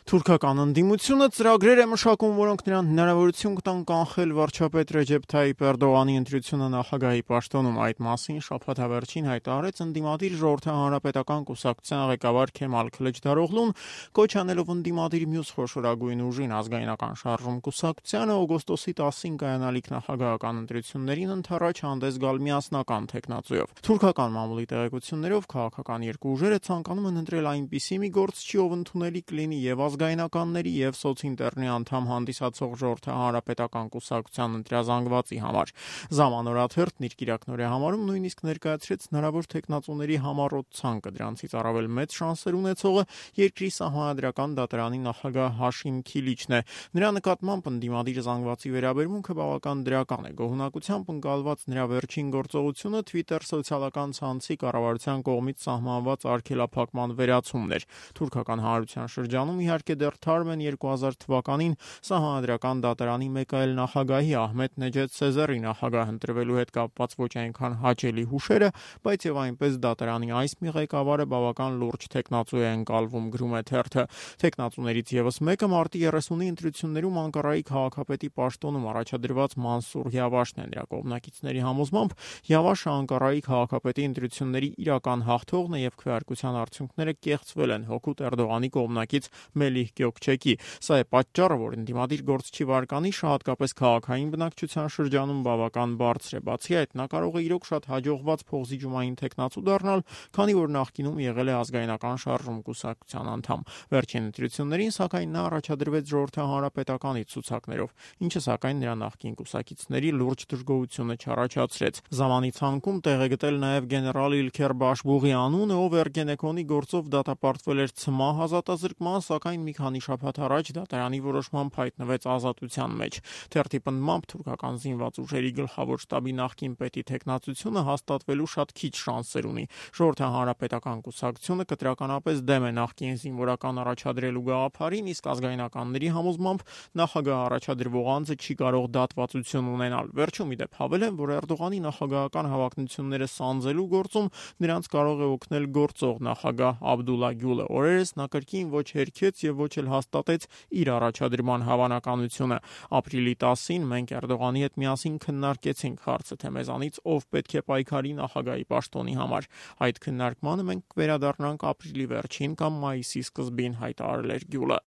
Թուրքական ընդդիմությունը ծրագրեր է մշակում, որոնք նրան հնարավորություն կտան կանխել վարչապետ Ռեջեփ Թայիփ Էրդողանի ընտրությունը նախագահի պաշտոնում։ Այդ մասին շաբաթավերջին հայտարարեց ընդդիմադիր Ժողովրդահանրապետական կուսակցության ղեկավար Քեմալ Քլիչդարօղլուն, կոչ անելով ընդդիմադիր մյուս խոշորագույն ուժին Ազգայնական շարժում կուսակցությանը օգոստոսի 10-ին կայանալիք նախագահական ընտրություններին ընդառաջ հանդես գալ միասնական թեկնածուով։ Թուրքական մամուլի տեղեկություններով քաղաքական երկու ուժերը ցանկանում են ընտրել այնպիսի մի գործչի, ով ընդունելի կլինի եւ ազգայնականների եւ սոցինտերնի անդամ հանդիսացող Ժողովրդահանրապետական կուսակցության ընտրազանգվածի համար։ Ժամանորաթերթն իր կիրակնօրյա համարում նույնիսկ ներկայացրեց հնարավոր թեկնածուների համառոտ ցանկը, դրանցից առավել մեծ շանսեր ունեցողը երկրի սահմանադրական դատարանի նախագահ Հաշիմ Քիլիչն է։ Նրա նկատմամբ ընդդիմադիր զանգվածի վերաբերմունքը բավական դրական է։ Գոհունակությամբ ընկալված նրա վերջին գործողությունը Twitter սոցիալական ցանցի կառավարության կողմից սահմանված արգելափակման վերացումն էր։ Թուրքական հանրության շրջանում իհարկե դեռ թարմ են 2000 թվականին սահմանադրական դատարանի մեկ այլ նախագահի Ահմեդ Նեջեդ Սեզերի նախագահ ընտրվելու հետ կապված ոչ այնքան հաճելի հուշերը, բայց եւ այնպես դատարանի այս մի ղեկավարը բավական լուրջ թեկնածու է ընկալվում, գրում է թերթը։ Թեկնածուներից եւս մեկը մարտի 30-ի ընտրություններում Անկարայի քաղաքապետի պաշտոնում առաջադրված Մանսուր Յավաշն է։ Նրա կողմնակիցների համոզմամբ Յավաշը Անկարայի քաղաքապետի ընտրությունների իրական հաղթողն է եւ քվեարկության արդյունքները կեղծվել են հօգուտ Էրդողանի կողմնակից Մելիհ Գյոկչեկի։ Սա է պատճառը, որ ընդդիմադիր գործչի վարկանիշը հատկապես քաղաքային բնակչության շրջանում բավական բարձր է։ Բացի այդ, նա կարող է իրոք շատ հաջողված փողզիջումային թեկնածու դառնալ, քանի որ նախկինում եղել է Ազգայնական շարժում կուսակցության անդամ։ Վերջին ընտրություններին, սակայն, նա առաջադրվեց Ժողովրդահանրապետականի ցուցակներով, ինչը սակայն նրա նախկին կուսակիցների լուրջ դժգոհությունը չառաջացրեց։ Զամանի ցանկում տեղ է գտել նաև գեներալ Իլքեր Բաշբուղի անունը, ով Էրգենեկոնի գործով դատապարտվել էր ցմահ ազատազրկման, սակայն մի քանի շաբաթ առաջ դատարանի որոշմամբ հայտնվեց ազատության մեջ։ Թերթի պնդմամբ թուրքական զինված ուժերի գլխավոր շտաբի նախկին պետի թեկնածությունը հաստատվելու շատ քիչ շանսեր ունի։ Ժողովրդահանրապետական կուսակցությունը կտրականապես դեմ է նախկին զինվորական առաջադրելու գաղափարին, իսկ ազգայնականների համոզմամբ նախագահ առաջադրվող անձը չի կարող դատվածություն ունենալ։ Վերջում ի դեպ հավելեն, որ Էրդողանի նախագահական հավակնությունները սանձելու գործում նրանց կարող է օգնել գործող նախագահ Աբդուլլա Գյուլը։ Օրերս նա կրկին ոչ հերքեց եւ ոչ էլ հաստատեց իր առաջադրման հավանականությունը։ Ապրիլի 10-ին մենք Էրդողանի հետ միասին քննարկեցինք հարցը, թե մեզանից ով պետք է պայքարի նախագահի պաշտոնի համար։ Այդ քննարկմանը մենք կվերադառնանք ապրիլի վերջին կամ մայիսի սկզբին, հայտարարել էր Գյուլը։